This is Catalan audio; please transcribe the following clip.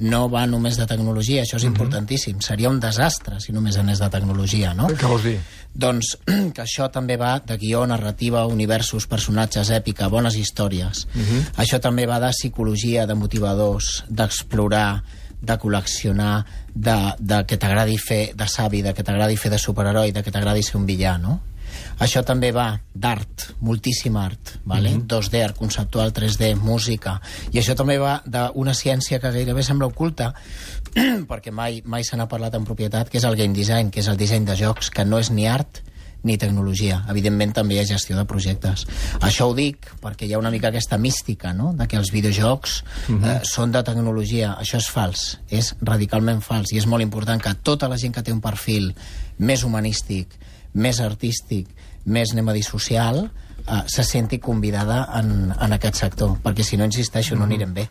no va només de tecnologia, això és importantíssim. Seria un desastre si només anés de tecnologia, no? Què vols dir? Doncs que això també va de guió, narrativa, universos, personatges, èpica, bones històries. Això també va de psicologia, de motivadors, d'explorar, de col·leccionar, de que t'agradi fer de savi, de que t'agradi fer de superheroi, de que t'agradi ser un villà, no? Això també va d'art, moltíssim art, vale? 2D, art conceptual, 3D, música. I això també va d'una ciència que gairebé sembla oculta, perquè mai se n'ha parlat en propietat, que és el game design, que és el disseny de jocs, que no és ni art ni tecnologia. Evidentment també hi ha gestió de projectes. Això ho dic perquè hi ha una mica aquesta mística, no?, de que els videojocs són de tecnologia. Això és fals, és radicalment fals, i és molt important que tota la gent que té un perfil més humanístic, més artístic, més, anem a dir, social, se senti convidada en aquest sector, perquè si no, insisteixo, no anirem bé.